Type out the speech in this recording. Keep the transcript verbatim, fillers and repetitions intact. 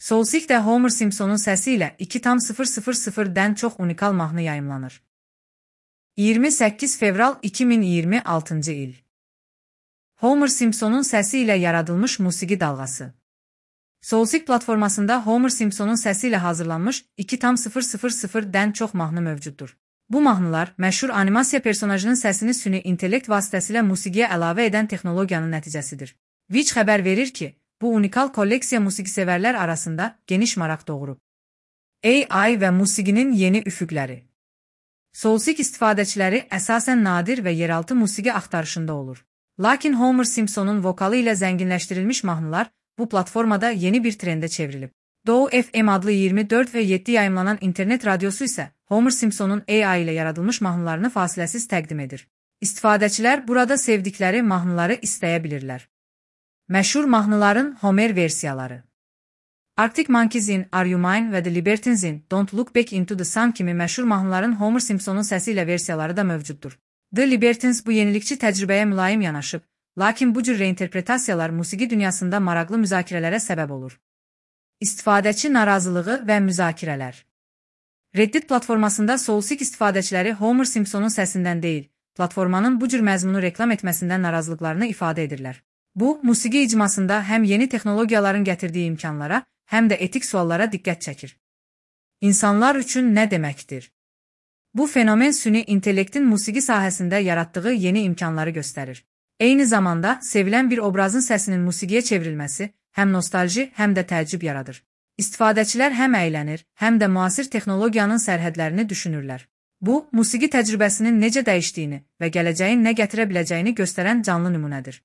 Soulseek'də Homer Simpsonun səsi ilə iki tam sıfır sıfır sıfırdən çox unikal mahnı yayımlanır. iyirmi səkkiz fevral iki min iyirmi altıncı il. Homer Simpsonun səsi ilə yaradılmış musiqi dalğası. Soulseek platformasında Homer Simpsonun səsi ilə hazırlanmış iki tam sıfır sıfır sıfırdən çox mahnı mövcuddur. Bu mahnılar məşhur animasiya personajının səsini süni intellekt vasitəsilə musiqiyə əlavə edən texnologiyanın nəticəsidir. Witch xəbər verir ki, bu unikal kolleksiya musiqisevərlər arasında geniş maraq doğurub. A I və musiqinin yeni üfüqləri. Soulseek istifadəçiləri əsasən nadir və yeraltı musiqi axtarışında olur. Lakin Homer Simpsonun vokalı ilə zənginləşdirilmiş mahnılar bu platformada yeni bir trendə çevrilib. Dow F M adlı iyirmi dörd və yeddi yayımlanan internet radiosu isə Homer Simpsonun A I ilə yaradılmış mahnılarını fasiləsiz təqdim edir. İstifadəçilər burada sevdikləri mahnıları istəyə bilirlər. Məşhur mahnıların Homer versiyaları. Arctic Monkeys'in Are You Mine və The Libertines'in Don't Look Back Into the Sun kimi məşhur mahnıların Homer Simpsonun səsi ilə versiyaları da mövcuddur. The Libertines bu yenilikçi təcrübəyə mülayim yanaşıb, lakin bu cür reinterpretasiyalar musiqi dünyasında maraqlı müzakirələrə səbəb olur. İstifadəçi narazılığı və müzakirələr. Reddit platformasında Soulseek istifadəçiləri Homer Simpsonun səsindən deyil, platformanın bu cür məzmunu reklam etməsindən narazılıqlarını ifadə edirlər. Bu, musiqi icmasında həm yeni texnologiyaların gətirdiyi imkanlara, həm də etik suallara diqqət çəkir. İnsanlar üçün nə deməkdir? Bu fenomen süni intellektin musiqi sahəsində yaratdığı yeni imkanları göstərir. Eyni zamanda, sevilən bir obrazın səsinin musiqiyə çevrilməsi həm nostalji, həm də təəccüb yaradır. İstifadəçilər həm əylənir, həm də müasir texnologiyanın sərhədlərini düşünürlər. Bu, musiqi təcrübəsinin necə dəyişdiyini və gələcəyin nə gətirə biləcəyini göstərən canlı nümunədir.